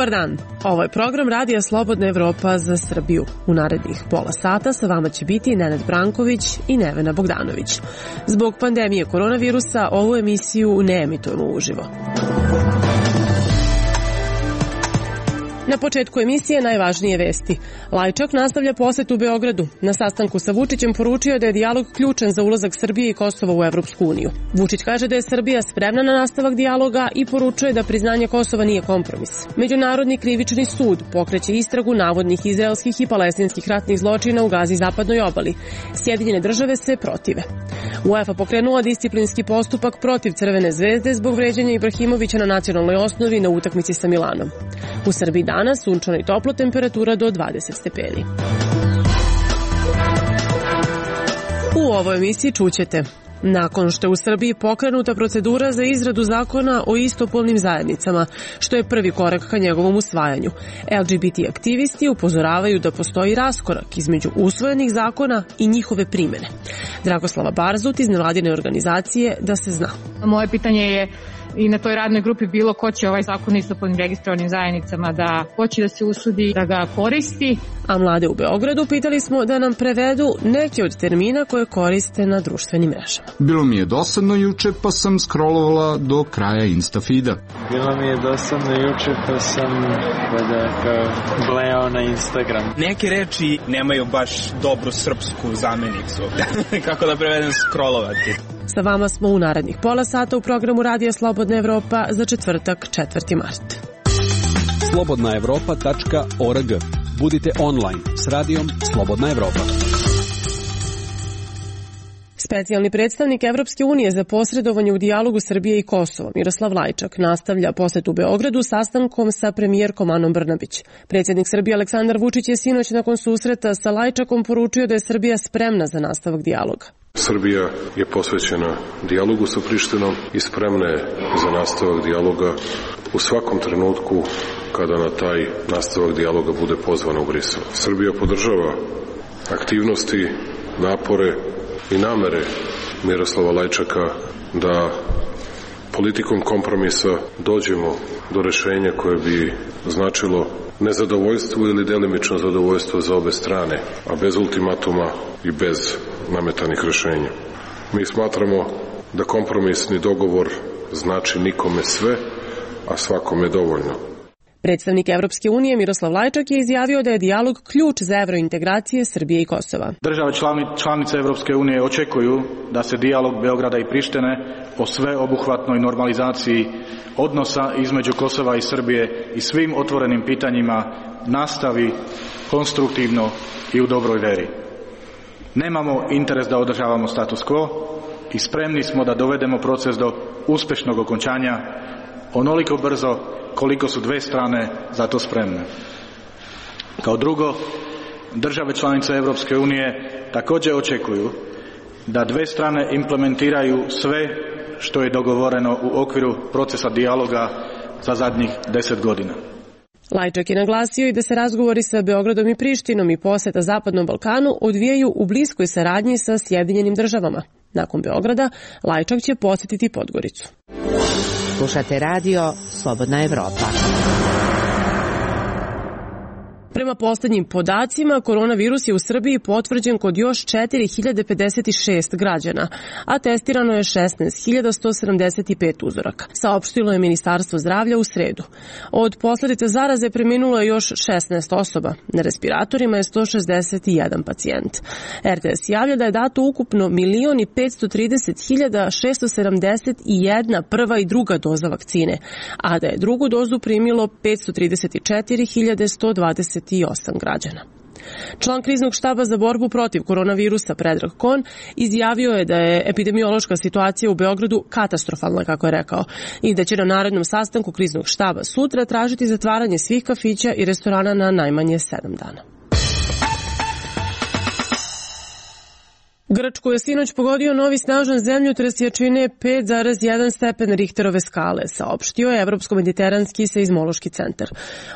Dobar dan, ovo je program Radija Slobodna Evropa za Srbiju. U narednih pola sata sa vama će biti Nenad Branković i Nevena Bogdanović. Zbog pandemije koronavirusa ovu emisiju ne emitujemo uživo. Na početku emisije najvažnije vesti. Lajčak nastavlja posetu u Beogradu. Na sastanku sa Vučićem poručio da je dijalog ključan za ulazak Srbije i Kosova u Evropsku uniju. Vučić kaže da je Srbija spremna na nastavak dijaloga i poručuje da priznanje Kosova nije kompromis. Međunarodni krivični sud pokreće istragu navodnih izraelskih i palestinskih ratnih zločina u Gazi i zapadnoj obali. Sjedinjene države se protive. UEFA pokrenula disciplinski postupak protiv Crvene zvezde zbog vređanja Ibrahimovića na nacionalnoj osnovi na utakmici sa Milanom. U Srbiji danas sunčano i toplo, temperatura do 20 stepeni. U ovoj emisiji čućete: nakon što je u Srbiji pokrenuta procedura za izradu zakona o istopolnim zajednicama, što je prvi korak ka njegovom usvajanju, LGBT aktivisti upozoravaju da postoji raskorak između usvojenih zakona i njihove primene. Dragoslava Barzut iz nevladine organizacije Da se zna. Moje pitanje je i na toj radnoj grupi bilo ko će ovaj zakon o istopolnim registrovanim zajednicama da hoće da se usudi da ga koristi. A mlade u Beogradu pitali smo da nam prevedu neke od termina koje koriste na društvenim mrežama. Bilo mi je dosadno juče pa sam scrollovala do kraja Instafeeda. Bilo mi je dosadno juče pa sam blejao na Instagram. Neke reči nemaju baš dobru srpsku zamenicu. Kako da prevedem scrollovati? Sa vama smo u narednih pola sata u programu Radija Slobodna Evropa za četvrtak 4. mart. slobodnaevropa.org. Budite online s radijom Slobodna Evropa. Specijalni predstavnik Evropske unije za posredovanje u dijalogu Srbije i Kosova, Miroslav Lajčak, nastavlja posetu u Beogradu sastankom sa premijerkom Anom Brnabić. Predsjednik Srbije Aleksandar Vučić je sinoć nakon susreta sa Lajčakom poručio da je Srbija spremna za nastavak dijaloga. Srbija je posvećena dijalogu sa Prištinom i spremna je za nastavak dijaloga u svakom trenutku kada na taj nastavak dijaloga bude pozvana u Brisel. Srbija podržava aktivnosti, napore i namere Miroslava Lajčaka da politikom kompromisa dođemo do rešenja koje bi značilo nezadovoljstvo ili delimično zadovoljstvo za obe strane, a bez ultimatuma i bez nametanih rešenja. Mi smatramo da kompromisni dogovor znači nikome sve, a svakome dovoljno. Predstavnik Evropske unije Miroslav Lajčak je izjavio da je dijalog ključ za evrointegracije Srbije i Kosova. Države članice Evropske unije očekuju da se dijalog Beograda i Prištine o sveobuhvatnoj normalizaciji odnosa između Kosova i Srbije i svim otvorenim pitanjima nastavi konstruktivno i u dobroj veri. Nemamo interes da održavamo status quo i spremni smo da dovedemo proces do uspešnog okončanja onoliko brzo koliko su dve strane za to spremne. Kao drugo, države članice Evropske unije također očekuju da dve strane implementiraju sve što je dogovoreno u okviru procesa dijaloga za zadnjih 10 godina. Lajčak je naglasio i da se razgovori sa Beogradom i Prištinom i poseta Zapadnom Balkanu odvijaju u bliskoj saradnji sa Sjedinjenim državama. Nakon Beograda, Lajčak će posjetiti Podgoricu. Slušate radio Slobodna Evropa. Prema posljednjim podacima, koronavirus je u Srbiji potvrđen kod još 4056 građana, a testirano je 16.175 uzoraka, saopštilo je Ministarstvo zdravlja u sredu. Od posljedica zaraze preminulo je još 16 osoba, na respiratorima je 161 pacijent. RTS javlja da je dato ukupno 1.530.671 prva i druga doza vakcine, a da je drugu dozu primilo 534.128 građana. Član kriznog štaba za borbu protiv koronavirusa Predrag Kon izjavio je da je epidemiološka situacija u Beogradu katastrofalna, kako je rekao, i da će na narednom sastanku kriznog štaba sutra tražiti zatvaranje svih kafića i restorana na najmanje 7 dana. Grčku je sinoć pogodio novi snažan zemljotres jačine 5,1 stepen Richterove skale, saopštio je Evropsko-mediteranski seizmološki centar.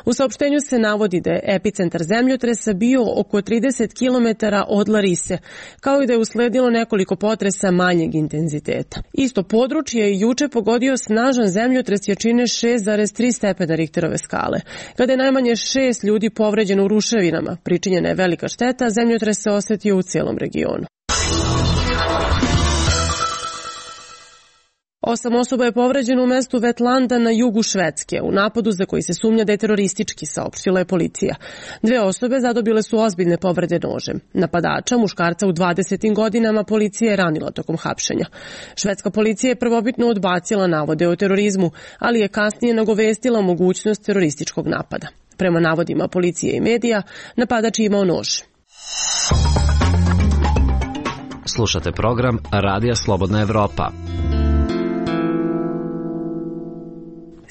U saopštenju se navodi da je epicentar zemljotresa bio oko 30 km od Larise, kao i da je usledilo nekoliko potresa manjeg intenziteta. Isto područje je juče pogodio snažan zemljotres jačine 6,3 stepena Richterove skale. Kada je najmanje 6 ljudi povređeno u ruševinama, pričinjena je velika šteta, zemljotres se osetio u cijelom regionu. 8 osoba je povređeno u mestu Vetlanda na jugu Švedske u napadu za koji se sumnja da je teroristički, saopštila je policija. 2 osobe zadobile su ozbiljne povrede nožem. Napadača, muškarca u 20. godinama, policija je ranila tokom hapšenja. Švedska policija je prvobitno odbacila navode o terorizmu, ali je kasnije nagovestila mogućnost terorističkog napada. Prema navodima policije i medija, napadač je imao nož. Slušate program Radija Slobodna Evropa.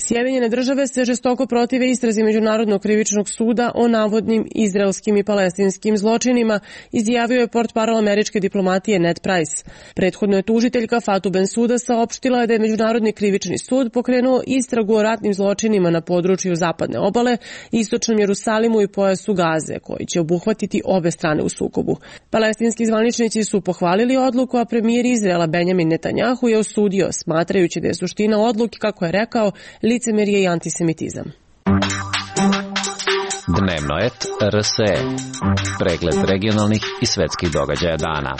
Sjedinjene države se žestoko protive istrazi Međunarodnog krivičnog suda o navodnim izraelskim i palestinskim zločinima, izjavio je portparol američke diplomatije Ned Price. Prethodno je tužiteljka Fatou Bensouda saopštila da je Međunarodni krivični sud pokrenuo istragu o ratnim zločinima na području zapadne obale, istočnom Jerusalimu i pojasu Gaze, koji će obuhvatiti obe strane u sukobu. Palestinski zvaničnici su pohvalili odluku, a premijer Izraela Benjamin Netanjahu je osudio, smatrajući da je suština odluke, kako je rekao, licemerje i antisemitizam. Dnevno et RSE. Pregled regionalnih i svetskih događaja dana.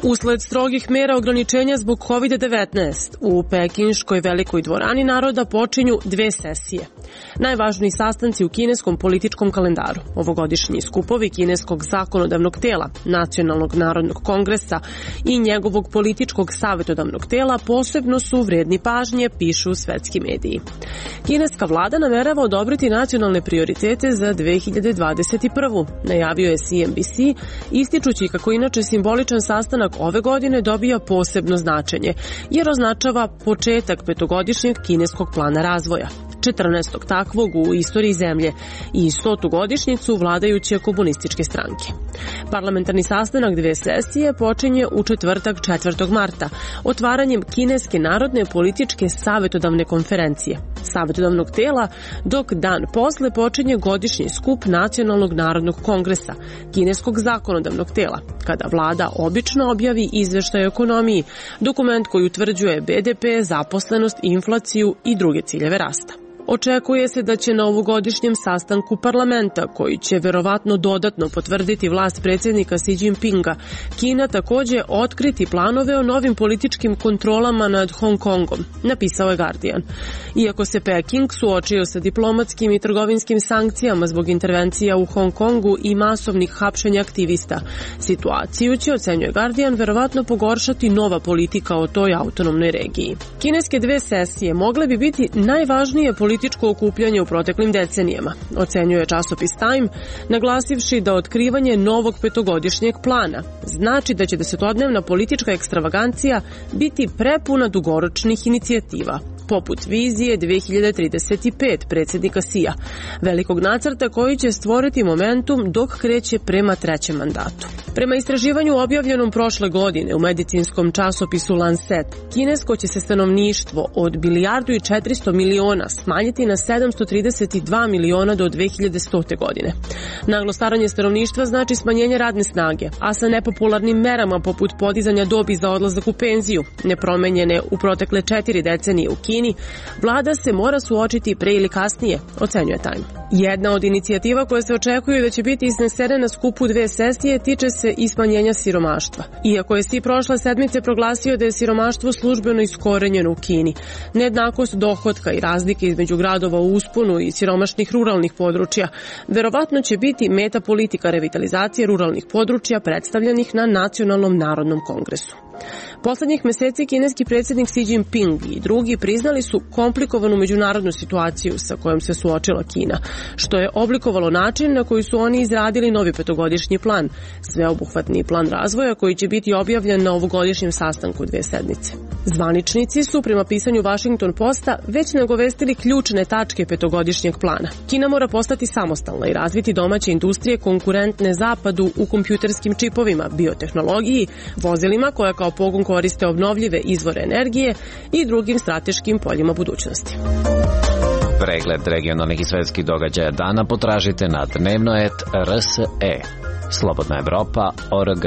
Usled strogih mera ograničenja zbog COVID-19, u Pekinškoj velikoj dvorani naroda počinju 2 sesije. Najvažniji sastanci u kineskom političkom kalendaru, ovogodišnji skupovi kineskog zakonodavnog tela, Nacionalnog narodnog kongresa i njegovog političkog savjetodavnog tela posebno su vredni pažnje, pišu svetski mediji. Kineska vlada namerava odobriti nacionalne prioritete za 2021. Najavio je CNBC, ističući kako inače simboličan sastanak ove godine dobija posebno značenje, jer označava početak 5-godišnjeg kineskog plana razvoja, 14. takvog u istoriji zemlje i 100. godišnjicu vladajuće komunističke stranke. Parlamentarni sastanak 2 sesije počinje u četvrtak 4. marta, otvaranjem Kineske narodne političke savjetodavne konferencije, savjetodavnog tela, dok dan posle počinje godišnji skup Nacionalnog narodnog kongresa, kineskog zakonodavnog tela, kada vlada obično objavi izveštaj o ekonomiji, dokument koji utvrđuje BDP, zaposlenost, inflaciju i druge ciljeve rasta. Očekuje se da će na ovogodišnjem sastanku parlamenta, koji će verovatno dodatno potvrditi vlast predsjednika Xi Jinpinga, Kina takođe otkriti planove o novim političkim kontrolama nad Hong Kongom, napisao je Guardian. Iako se Peking suočio sa diplomatskim i trgovinskim sankcijama zbog intervencija u Hong Kongu i masovnih hapšenja aktivista, situaciju će, ocenjuje Guardian, verovatno pogoršati nova politika o toj autonomnoj regiji. Kineske 2 sesije mogle bi biti najvažnije političko okupljanje u proteklim decenijama, ocenjuje časopis Time, naglasivši da otkrivanje novog 5-godišnjeg plana znači da će 10-dnevna politička ekstravagancija biti prepuna dugoročnih inicijativa, poput vizije 2035 predsjednika Xija, velikog nacrta koji će stvoriti momentum dok kreće prema 3. mandatu. Prema istraživanju objavljenom prošle godine u medicinskom časopisu Lancet, kinesko će se stanovništvo od 1,4 milijarde smanjiti na 732 miliona do 2100. godine. Naglo staranje stanovništva znači smanjenje radne snage, a sa nepopularnim merama poput podizanja dobi za odlazak u penziju, nepromenjene u protekle 4 decenije u Kini, vlada se mora suočiti pre ili kasnije, ocenjuje Time. Jedna od inicijativa koje se očekuju da će biti iznesene na skupu 2 sesije tiče se i smanjenja siromaštva. Iako je Xi prošle sedmice proglasio da je siromaštvo službeno iskorenjeno u Kini, nejednakost dohotka i razlike između gradova u usponu i siromašnih ruralnih područja verovatno će biti meta politika revitalizacije ruralnih područja predstavljenih na Nacionalnom narodnom kongresu. Poslednjih meseci kineski predsjednik Xi Jinping i drugi priznali su komplikovanu međunarodnu situaciju sa kojom se suočila Kina, što je oblikovalo način na koji su oni izradili novi 5-godišnji plan, sveobuhvatni plan razvoja koji će biti objavljen na ovogodišnjem sastanku 2 sedmice. Zvaničnici su prema pisanju Washington Posta već nagovestili ključne tačke petogodišnjeg plana. Kina mora postati samostalna i razviti domaće industrije konkurentne zapadu u kompjuterskim čipovima, biotehnologiji, vozilima koja kao pogon koriste obnovljive izvore energije i drugim strateškim poljima budućnosti. Pregled regionalnih i svetskih događaja dana potražite na dnevnoet.rse. Slobodna Evropa.org.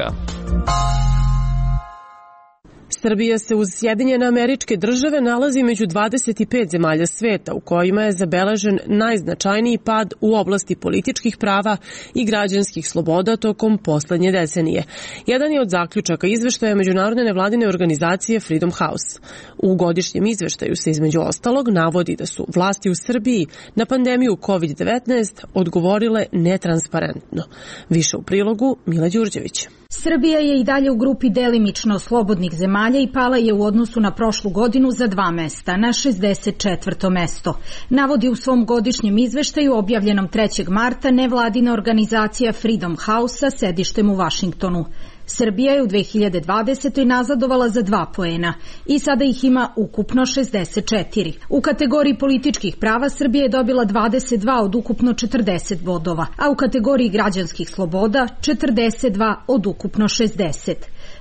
Srbija se uz Sjedinjene Američke Države nalazi među 25 zemalja sveta u kojima je zabeležen najznačajniji pad u oblasti političkih prava i građanskih sloboda tokom poslednje decenije. Jedan je od zaključaka izveštaja međunarodne nevladine organizacije Freedom House. U godišnjem izveštaju se između ostalog navodi da su vlasti u Srbiji na pandemiju COVID-19 odgovorile netransparentno. Više u prilogu Mila Đurđević. Srbija je i dalje u grupi delimično slobodnih zemalja i pala je u odnosu na prošlu godinu za 2 mesta, na 64. mesto. Navodi u svom godišnjem izveštaju objavljenom 3. marta nevladina organizacija Freedom House sa sedištem u Vašingtonu. Srbija je u 2020. nazadovala za 2 poena i sada ih ima ukupno 64. U kategoriji političkih prava Srbija je dobila 22 od ukupno 40 bodova, a u kategoriji građanskih sloboda 42 od ukupno 60.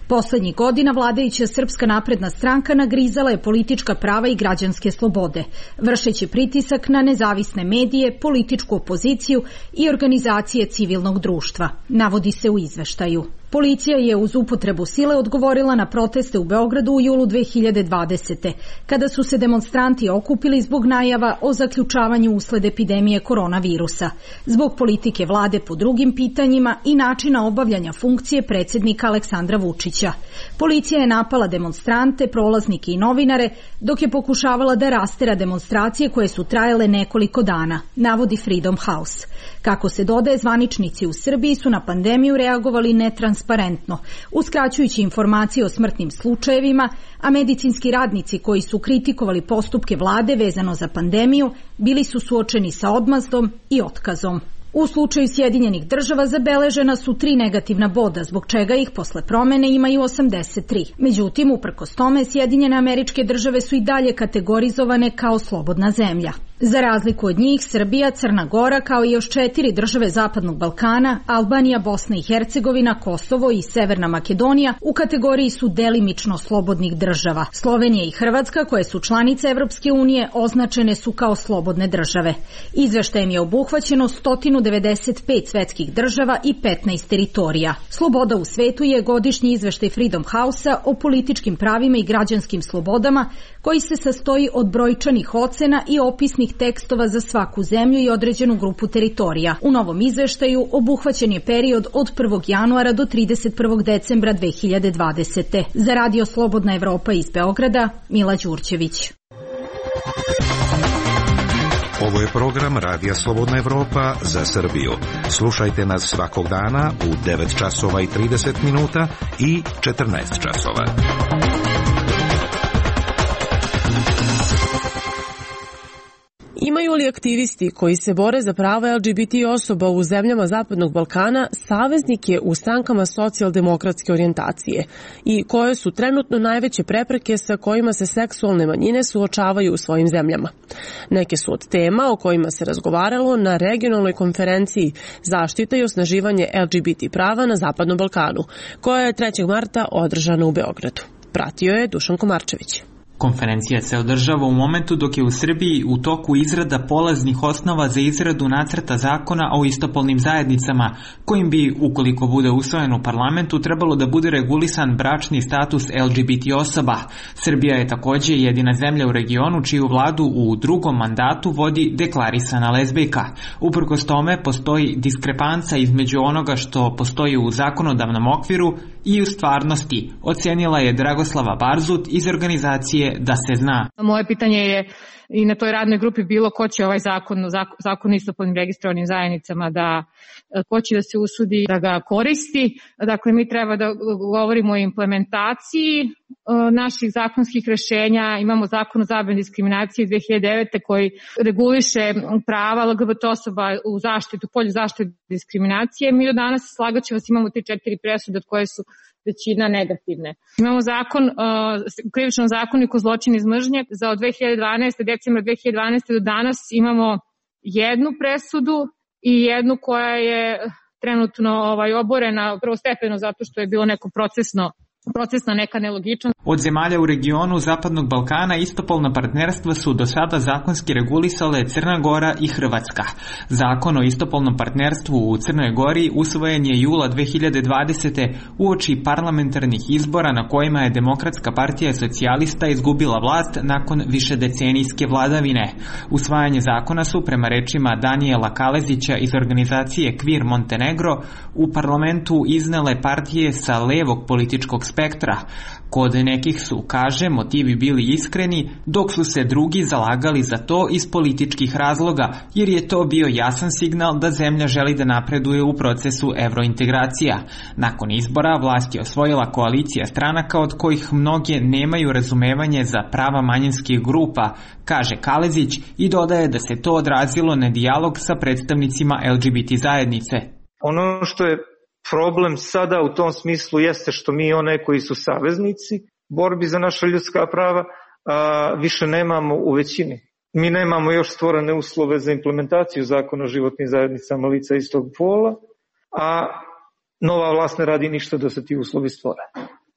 Poslednjih godina vladajuća Srpska napredna stranka nagrizala je politička prava i građanske slobode, vršeći pritisak na nezavisne medije, političku opoziciju i organizacije civilnog društva, navodi se u izveštaju. Policija je uz upotrebu sile odgovorila na proteste u Beogradu u julu 2020. kada su se demonstranti okupili zbog najava o zaključavanju usled epidemije koronavirusa, zbog politike vlade po drugim pitanjima i načina obavljanja funkcije predsjednika Aleksandra Vučića. Policija je napala demonstrante, prolaznike i novinare, dok je pokušavala da rastera demonstracije koje su trajale nekoliko dana, navodi Freedom House. Kako se dodaje, zvaničnici u Srbiji su na pandemiju reagovali netransparentno, uskraćujući informacije o smrtnim slučajevima, a medicinski radnici koji su kritikovali postupke vlade vezano za pandemiju bili su suočeni sa odmazdom i otkazom. U slučaju Sjedinjenih Država zabeležena su 3 negativna boda, zbog čega ih posle promene imaju 83. Međutim, uprkos tome, Sjedinjene Američke Države su i dalje kategorizovane kao slobodna zemlja. Za razliku od njih, Srbija, Crna Gora, kao i još 4 države Zapadnog Balkana, Albanija, Bosna i Hercegovina, Kosovo i Severna Makedonija u kategoriji su delimično slobodnih država. Slovenija i Hrvatska, koje su članice Evropske unije, označene su kao slobodne države. Izveštajem je obuhvaćeno 195 svetskih država i 15 teritorija. Sloboda u svetu je godišnji izveštaj Freedom House-a o političkim pravima i građanskim slobodama, koji se sastoji od brojčanih ocena i opisnih tekstova za svaku zemlju i određenu grupu teritorija. U novom izveštaju obuhvaćen je period od 1. januara do 31. decembra 2020. Za Radio Slobodna Evropa iz Beograda, Mila Đurđević. Ovo je program Radija Slobodna Evropa za Srbiju. Slušajte nas svakog dana u 9 časova i 30 minuta i 14 časova. Imaju li aktivisti koji se bore za prava LGBT osoba u zemljama Zapadnog Balkana saveznike u strankama socijaldemokratske orijentacije i koje su trenutno najveće prepreke sa kojima se seksualne manjine suočavaju u svojim zemljama? Neke su od tema o kojima se razgovaralo na regionalnoj konferenciji Zaštita i osnaživanje LGBT prava na Zapadnom Balkanu, koja je 3. marta održana u Beogradu. Pratio je Dušan Komarčević. Konferencija se održava u momentu dok je u Srbiji u toku izrada polaznih osnova za izradu nacrta zakona o istopolnim zajednicama, kojim bi, ukoliko bude usvojen u parlamentu, trebalo da bude regulisan bračni status LGBT osoba. Srbija je takođe jedina zemlja u regionu čiju vladu u drugom mandatu vodi deklarisana lezbijka. Uprkos tome postoji diskrepanca između onoga što postoji u zakonodavnom okviru i u stvarnosti, ocenila je Dragoslava Barzut iz organizacije Da se zna. Moje pitanje je i na toj radnoj grupi bilo ko će ovaj zakon o istopolnim registrovanim zajednicama ko će da se usudi da ga koristi. Dakle, mi treba da govorimo o implementaciji naših zakonskih rešenja imamo zakon o zabrani diskriminacije iz 2009. koji reguliše prava LGBT osoba u zaštitu, polju zaštite diskriminacije. Mi do danas, slagaću vas, imamo te 4 presude od koje su većina negativne. Imamo zakon, krivičnom zakoniku zločin iz mržnje za od 2012. decembra 2012. do danas imamo jednu presudu i jednu koja je trenutno oborena prvostepeno zato što je bilo neko procesna neka nelogičnost. Od zemalja u regionu Zapadnog Balkana istopolna partnerstva su do sada zakonski regulisale Crna Gora i Hrvatska. Zakon o istopolnom partnerstvu u Crnoj Gori usvojen je jula 2020. uoči parlamentarnih izbora na kojima je Demokratska partija socijalista izgubila vlast nakon višedecenijske vladavine. Usvajanje zakona su, prema rečima Danijela Kalezića iz organizacije Queer Montenegro, u parlamentu iznele partije sa levog političkog spektra. Kod nekih su, kaže, motivi bili iskreni, dok su se drugi zalagali za to iz političkih razloga, jer je to bio jasan signal da zemlja želi da napreduje u procesu evrointegracija. Nakon izbora vlast je osvojila koalicija stranaka od kojih mnoge nemaju razumevanje za prava manjinskih grupa, kaže Kalezić, i dodaje da se to odrazilo na dijalog sa predstavnicima LGBT zajednice. Ono što je problem sada u tom smislu jeste što mi one koji su saveznici borbi za naša ljudska prava više nemamo u većini. Mi nemamo još stvorene uslove za implementaciju zakona o životnim zajednicama lica istog pola, a nova vlast ne radi ništa da se ti uslovi stvore.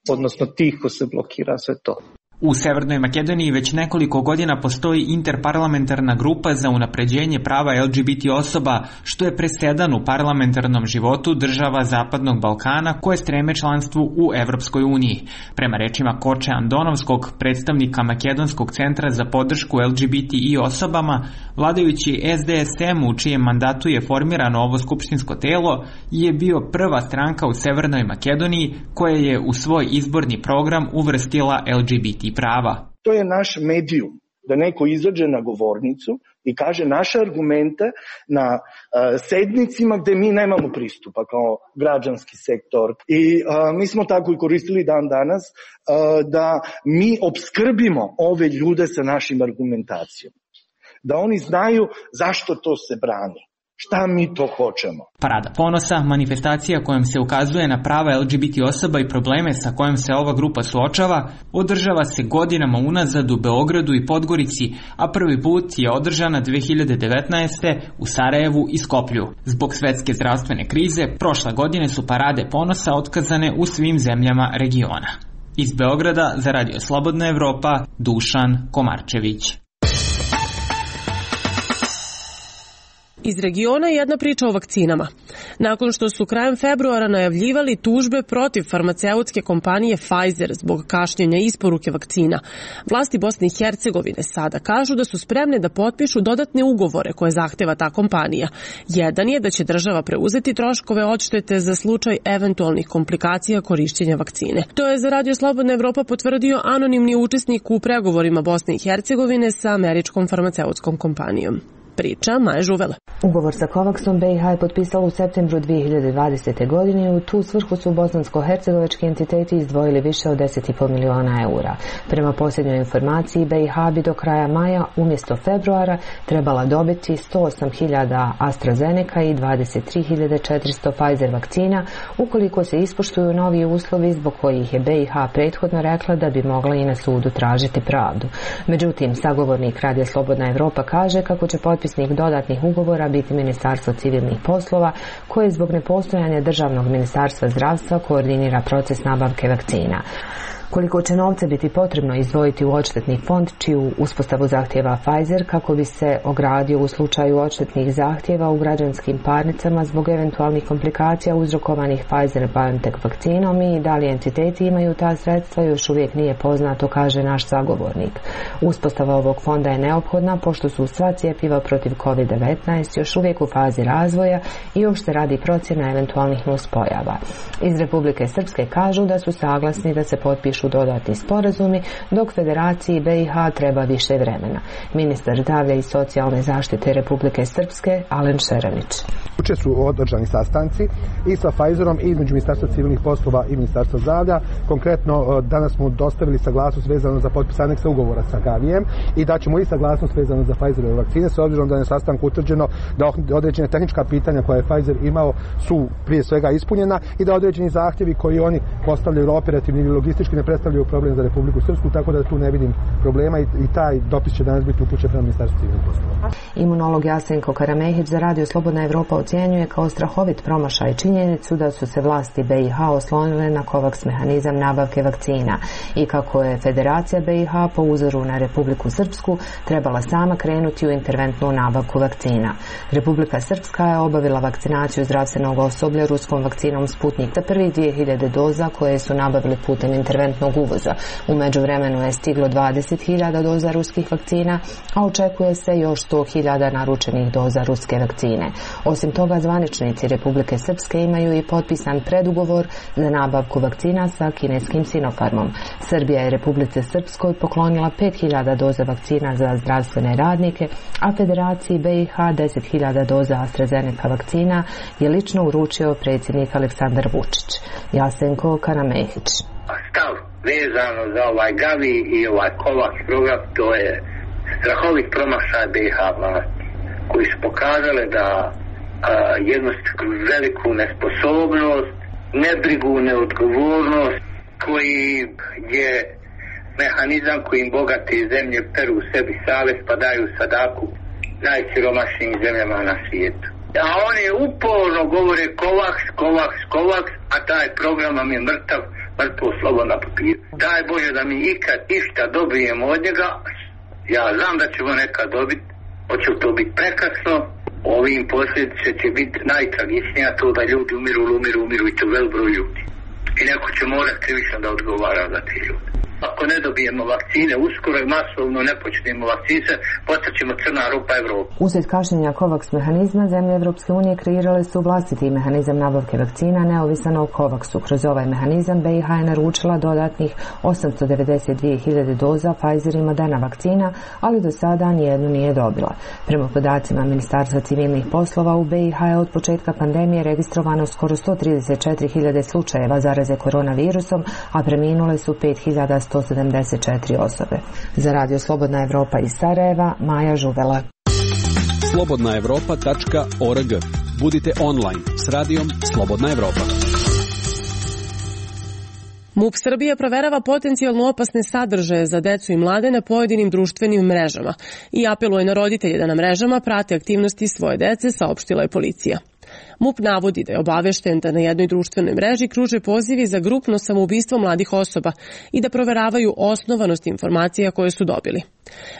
Odnosno tiho se blokira sve to. U Severnoj Makedoniji već nekoliko godina postoji interparlamentarna grupa za unapređenje prava LGBT osoba, što je presedan u parlamentarnom životu država Zapadnog Balkana koje streme članstvu u Evropskoj uniji. Prema rečima Koče Andonovskog, predstavnika Makedonskog centra za podršku LGBTI osobama, vladajući SDSM, u čijem mandatu je formirano ovo skupštinsko telo, je bio prva stranka u Severnoj Makedoniji koja je u svoj izborni program uvrstila LGBT prava. To je naš medijum, da neko izađe na govornicu i kaže naše argumente na sednicima gde mi nemamo pristupa kao građanski sektor. I mi smo tako i koristili dan danas da mi opskrbimo ove ljude sa našim argumentacijom. Da oni znaju zašto to se brani. Šta mi to hoćemo? Parada ponosa, manifestacija kojom se ukazuje na prava LGBT osoba i probleme sa kojom se ova grupa suočava, održava se godinama unazad u Beogradu i Podgorici, a prvi put je održana 2019. u Sarajevu i Skoplju. Zbog svetske zdravstvene krize, prošle godine su parade ponosa otkazane u svim zemljama regiona. Iz Beograda za Radio Slobodna Evropa, Dušan Komarčević. Iz regiona jedna priča o vakcinama. Nakon što su krajem februara najavljivali tužbe protiv farmaceutske kompanije Pfizer zbog kašnjenja isporuke vakcina, vlasti Bosne i Hercegovine sada kažu da su spremne da potpišu dodatne ugovore koje zahteva ta kompanija. Jedan je da će država preuzeti troškove odštete za slučaj eventualnih komplikacija korišćenja vakcine. To je za Radio Slobodna Evropa potvrdio anonimni učesnik u pregovorima Bosne i Hercegovine sa američkom farmaceutskom kompanijom. Priča Maja Žuvela. Ugovor sa Covaxom BiH je potpisalo u septembru 2020. godine. U tu svrhu su bosansko-hercegovački entiteti izdvojili više od 10,5 miliona eura. Prema posljednjoj informaciji, BiH bi do kraja maja umjesto februara trebala dobiti 108.000 AstraZeneca i 23.400 Pfizer vakcina ukoliko se ispoštuju novi uslovi zbog kojih je BiH prethodno rekla da bi mogla i na sudu tražiti pravdu. Međutim, sagovornik Radija Slobodna Evropa kaže kako će potpisnik dodatnih ugovora biti Ministarstvo civilnih poslova, koje zbog nepostojanja Državnog ministarstva zdravstva koordinira proces nabavke vakcina. Koliko će novca biti potrebno izdvojiti u odštetni fond, čiju uspostavu zahtjeva Pfizer kako bi se ogradio u slučaju odštetnih zahtjeva u građanskim parnicama zbog eventualnih komplikacija uzrokovanih Pfizer-BioNTech vakcinom i da li entiteti imaju ta sredstva još uvijek nije poznato, kaže naš sagovornik. Uspostava ovog fonda je neophodna pošto su sva cjepiva protiv COVID-19 još uvijek u fazi razvoja i još se radi procjena eventualnih nuspojava. Iz Republike Srpske kažu da su saglasni da se potpišu potpišu dodatni sporazumi, dok Federaciji BiH treba više vremena. Ministar zdravlja i socijalne zaštite Republike Srpske, Alen Šeranić. Juče su održani sastanci i sa Pfizerom i između Ministarstva civilnih poslova i Ministarstva zdravlja. Konkretno, danas smo dostavili saglasnost vezano za potpis aneksa ugovora sa Gavijem i daćemo i saglasnost vezano za Pfizerove vakcine, s obzirom da je na sastanku utvrđeno da određene tehnička pitanja koje je Pfizer imao su prije svega ispunjena i da određeni zahtjevi koji oni postavljaju operativni ili logistički ne predstavljaju problem za Republiku Srpsku, tako da tu ne vidim problema i taj dopis će danas biti upućen prema Ministarstvu civilnih poslova. Imunolog Jasenko Karamehić za Radio Slobodna Evropa ocjenjuje kao strahovit promašaj činjenicu da su se vlasti BiH oslonile na COVAX mehanizam nabavke vakcina i kako je Federacija BiH po uzoru na Republiku Srpsku trebala sama krenuti u interventnu nabavku vakcina. Republika Srpska je obavila vakcinaciju zdravstvenog osoblja ruskom vakcinom Sputnik za prvih 2000 doza koje su nabavili putem interventnog uvoza. U međuvremenu je stiglo 20.000 doza ruskih vakcina, a očekuje se još 100.000 naručenih doza ruske vakcine. Osim toga, zvaničnici Republike Srpske imaju i potpisan predugovor za nabavku vakcina sa kineskim Sinopharmom. Srbija je Republici Srpskoj poklonila 5.000 doza vakcina za zdravstvene radnike, a Federaciji BiH 10.000 doza AstraZeneca vakcina je lično uručio predsjednik Aleksandar Vučić. Jasenko Karamehić. Stav vezano za ovaj Gavi i ovaj COVAX program, to je strahovit promašaj BiH vlasti, koji su pokazali da jednu veliku nesposobnost, nebrigu, neodgovornost, koji je mehanizam kojim bogate zemlje peru u sebi savez pa daju sadaku najsiromašnijim zemljama na svijetu. A oni uporno govore COVAX, a taj program nam je mrtvo slovo na papiru. Daj Bože da mi ikad išta dobijemo od njega. Ja znam da ćemo nekad dobiti, hoće to biti prekasno. Ovim posljedice će biti najtragičnija, to da ljudi umiru i to velik broj ljudi. I neko će morati krivično da odgovara za te ljudi. Ako ne dobijemo vakcine uskoro i masovno ne počnemo vakcine, postaćemo crna rupa Evrope. Uslijed kašnjenja COVAX mehanizma, zemlje Evropske unije kreirale su vlastiti mehanizam nabavke vakcina neovisan o COVAXu. Kroz ovaj mehanizam BiH je naručila dodatnih 892.000 doza Pfizer i Moderna vakcina, ali do sada nijednu nije dobila. Prema podacima Ministarstva civilnih poslova, u BiH je od početka pandemije registrovano skoro 134.000 slučajeva zaraze koronavirusom, a preminule su 5.174 osobe. Za Radio Slobodna Evropa iz Sarajeva, Maja Žuvela. slobodnaevropa.org. Budite online s radijom Slobodna Evropa. MUP Srbije proverava potencijalno opasne sadržaje za decu i mlade na pojedinim društvenim mrežama i apeluje na roditelje da na mrežama prate aktivnosti svoje dece, saopštila je policija. MUP navodi da je obavešten da na jednoj društvenoj mreži kruže pozivi za grupno samoubistvo mladih osoba i da proveravaju osnovanost informacija koje su dobili.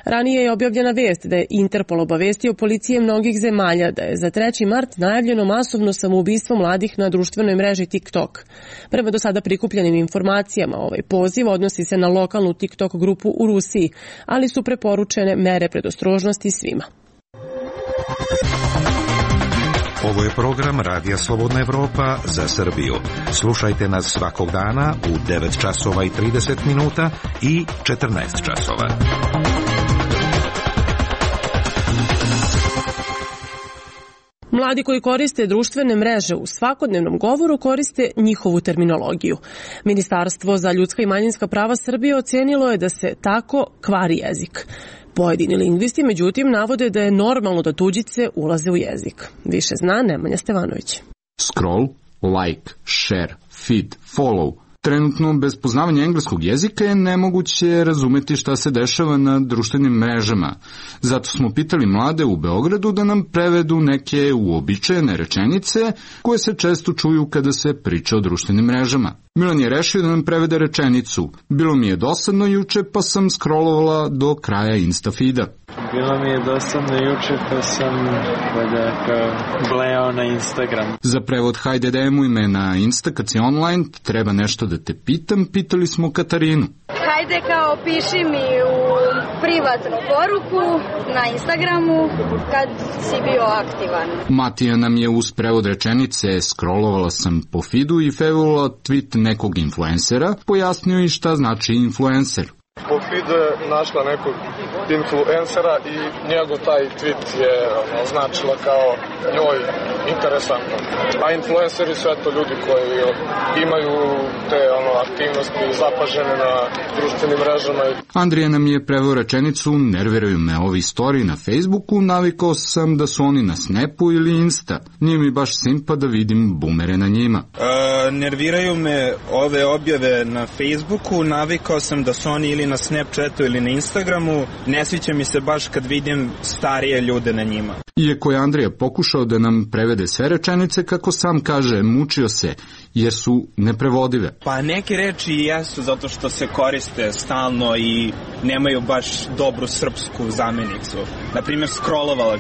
Ranije je objavljena vest da je Interpol obavestio policije mnogih zemalja da je za 3. mart najavljeno masovno samoubistvo mladih na društvenoj mreži TikTok. Prema do sada prikupljenim informacijama, ovaj poziv odnosi se na lokalnu TikTok grupu u Rusiji, ali su preporučene mere predostrožnosti svima. Ovo je program Radija Slobodna Evropa za Srbiju. Slušajte nas svakog dana u 9 časova i 30 minuta i 14 časova. Mladi koji koriste društvene mreže u svakodnevnom govoru koriste njihovu terminologiju. Ministarstvo za ljudska i manjinska prava Srbije ocenilo je da se tako kvari jezik. Pojedini lingvisti, međutim, navode da je normalno da tuđice ulaze u jezik. Više zna Nemanja Stevanović. Scroll, like, share, feed, follow. Trenutno, bez poznavanja engleskog jezika je nemoguće razumeti šta se dešava na društvenim mrežama. Zato smo pitali mlade u Beogradu da nam prevedu neke uobičajene rečenice koje se često čuju kada se priča o društvenim mrežama. Milan je rešio da nam prevede rečenicu. Bilo mi je dosadno juče pa sam scrollovala do kraja Instafeeda. Bilo mi je dosadno juče pa sam blejao na Instagram. Za prevod hajde dajemo ime na Insta kad si online, treba nešto da te pitam, pitali smo Katarinu. Hajde ide kao piši mi u privatnu poruku na Instagramu kad si bio aktivan. Matija nam je uz prevod rečenice "scrollovala sam po feedu i fevula tweet nekog influencera" pojasnio i šta znači influencer. Po feedu je našla nekog influencera i njegov taj tweet je označila kao njoj interesantno. A influenceri su eto ljudi koji imaju te aktivnosti zapažene na društvenim mrežama. Andrija nam je preveo rečenicu "nerviraju me ovi story na Facebooku, navikao sam da su oni na Snapu ili Insta. Nije mi baš simpa da vidim bumere na njima." Nerviraju me ove objave na Facebooku, navikao sam da su oni ili na Snapchatu ili na Instagramu, ne sviđa mi se baš kad vidim starije ljude na njima. Iako je Andrija pokušao da nam prevede sve rečenice, kako sam kaže, mučio se, jer su neprevodive. Pa neke reči jesu zato što se koriste stalno i nemaju baš dobru srpsku zamenicu. Naprimjer, scrollovala.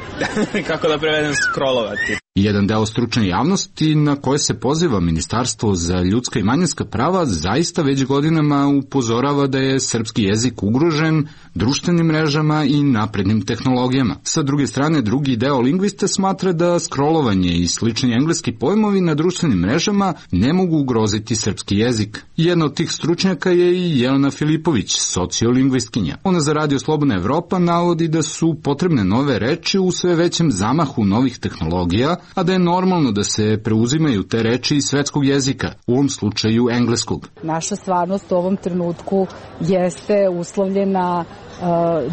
Kako da prevedem scrollovati? Jedan deo stručne javnosti na koje se poziva Ministarstvo za ljudska i manjinska prava zaista već godinama upozorava da je srpski jezik ugrožen društvenim mrežama i naprednim tehnologijama. Sa druge strane, drugi deo lingvista smatra da scrollovanje i slični engleski pojmovi na društvenim mrežama ne mogu ugroziti srpski jezik. Jedna od tih stručnjaka je i Jelena Filipović, sociolingvistkinja. Ona za Radio Slobodna Evropa navodi da su potrebne nove reči u sve većem zamahu novih tehnologija, a da je normalno da se preuzimaju te reči iz svetskog jezika, u ovom slučaju engleskog. Naša stvarnost u ovom trenutku jeste uslovljena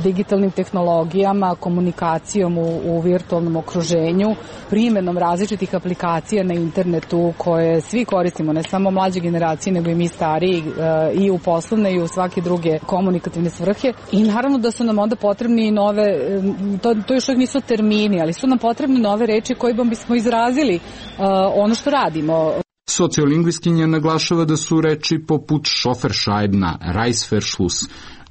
digitalnim tehnologijama, komunikacijom u virtualnom okruženju, primenom različitih aplikacija na internetu koje svi koristimo, ne samo mlađe generacije, nego i mi stariji, i u poslovne i u svake druge komunikativne svrhe. I naravno da su nam onda potrebni nove, to još uvijek nisu termini, ali su nam potrebne nove reči kojima bismo izrazili ono što radimo. Sociolingvistkinja naglašava da su reči poput šoferšajbna, rajsferšlus,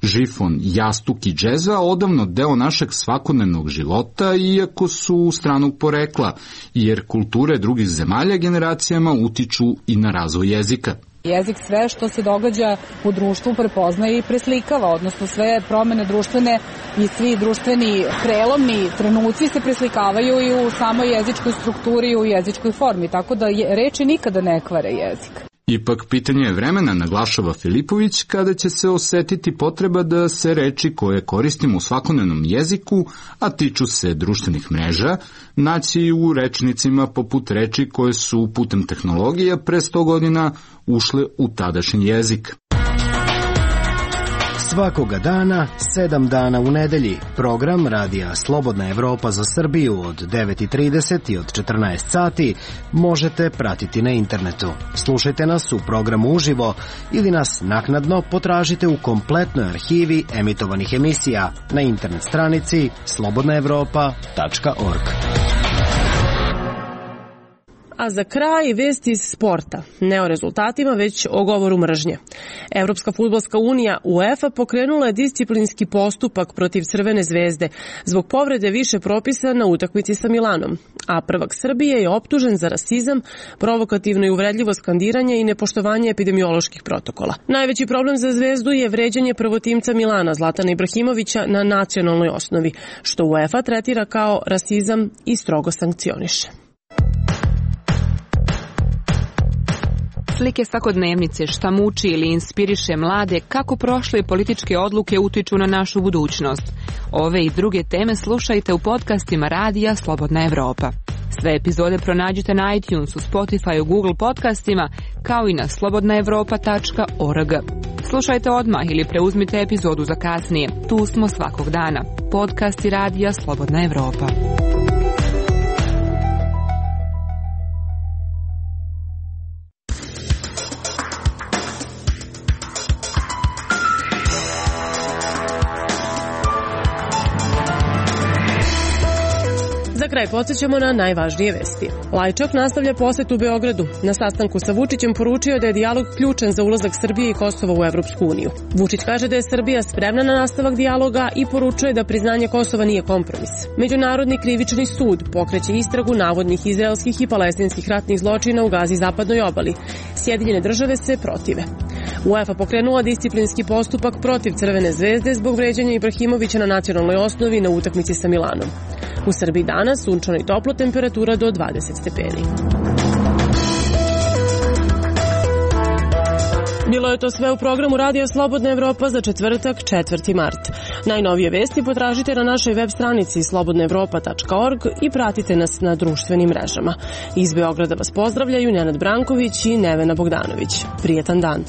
žifon, jastuk i džeza odavno deo našeg svakodnevnog života, iako su stranog porekla, jer kulture drugih zemalja generacijama utiču i na razvoj jezika. Jezik sve što se događa u društvu prepoznaje i preslikava, odnosno sve promene društvene i svi društveni prelomni trenuci se preslikavaju i u samoj jezičkoj strukturi i u jezičkoj formi, tako da reči nikada ne kvare jezik. Ipak pitanje je vremena, naglašava Filipović, kada će se osetiti potreba da se reči koje koristimo u svakodnevnom jeziku, a tiču se društvenih mreža, naći u rečnicima poput reči koje su putem tehnologija pre 100 godina ušle u tadašnji jezik. Svakoga dana, 7 dana u nedelji, program Radija Slobodna Evropa za Srbiju od 9:30 i od 14 sati možete pratiti na internetu. Slušajte nas u programu uživo ili nas naknadno potražite u kompletnoj arhivi emitovanih emisija na internet stranici slobodnaevropa.org. A za kraj vest iz sporta. Ne o rezultatima, već o govoru mržnje. Evropska fudbalska unija UEFA pokrenula je disciplinski postupak protiv Crvene zvezde zbog povrede više propisa na utakmici sa Milanom. A prvak Srbije je optužen za rasizam, provokativno i uvredljivo skandiranje i nepoštovanje epidemioloških protokola. Najveći problem za zvezdu je vređanje prvotimca Milana Zlatana Ibrahimovića na nacionalnoj osnovi, što UEFA tretira kao rasizam i strogo sankcioniše. Slike svakodnevnice, šta muči ili inspiriše mlade, kako prošle političke odluke utiču na našu budućnost. Ove i druge teme slušajte u podcastima Radija Slobodna Evropa. Sve epizode pronađite na iTunesu, Spotify, Google podcastima, kao i na slobodnaevropa.org. Slušajte odmah ili preuzmite epizodu za kasnije. Tu smo svakog dana. Podcasti Radija Slobodna Evropa. Za kraj podsjećamo na najvažnije vesti. Lajčak nastavlja posetu Beogradu. Na sastanku sa Vučićem poručio da je dijalog ključan za ulazak Srbije i Kosova u Evropsku uniju. Vučić kaže da je Srbija spremna na nastavak dijaloga i poručuje da priznanje Kosova nije kompromis. Međunarodni krivični sud pokreće istragu navodnih izraelskih i palestinskih ratnih zločina u Gazi zapadnoj obali. Sjedinjene države se protive. UEFA pokrenula disciplinski postupak protiv Crvene zvezde zbog vređanja Ibrahimovića na nacionalnoj osnovi na utakmici sa Milanom. U Srbiji danas sunčano i toplo, temperatura do 20 stepeni. Bilo je to sve u programu Radija Slobodna Evropa za četvrtak, 4. mart. Najnovije vesti potražite na našoj web stranici slobodnaevropa.org i pratite nas na društvenim mrežama. Iz Beograda vas pozdravljaju Nenad Branković i Nevena Bogdanović. Prijetan dan.